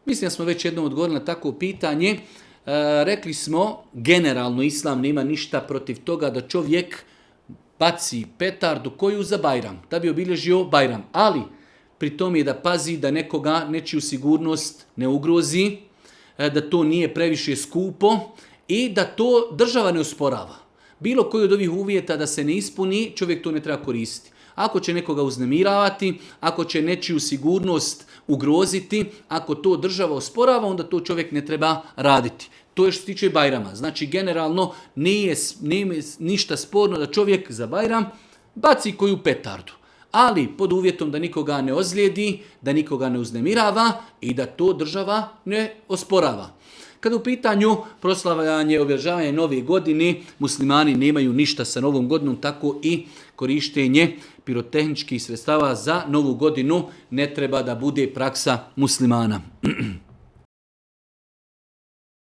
Mislim da smo već jednom odgovorili na takvo pitanje. Rekli smo, generalno Islam nema ništa protiv toga da čovjek baci petardu koju za Bajram, da bi obilježio Bajram. Ali pri tom je da pazi da nekoga, nečiju sigurnost ne ugrozi, da to nije previše skupo i da to država ne usporava. Bilo koji od ovih uvjeta da se ne ispuni, čovjek to ne treba koristiti. Ako će nekoga uznemiravati, ako će nečiju sigurnost ugroziti, ako to država osporava, onda to čovjek ne treba raditi. To je što se tiče Bajrama. Znači, generalno nije ništa sporno da čovjek za Bajram baci koju petardu. Ali pod uvjetom da nikoga ne ozlijedi, da nikoga ne uznemirava i da to država ne osporava. Kada u pitanju proslavljanje, obeležavanje nove godine, muslimani nemaju ništa sa novom godinom, tako i korištenje pirotehničkih sredstava za novu godinu ne treba da bude praksa muslimana.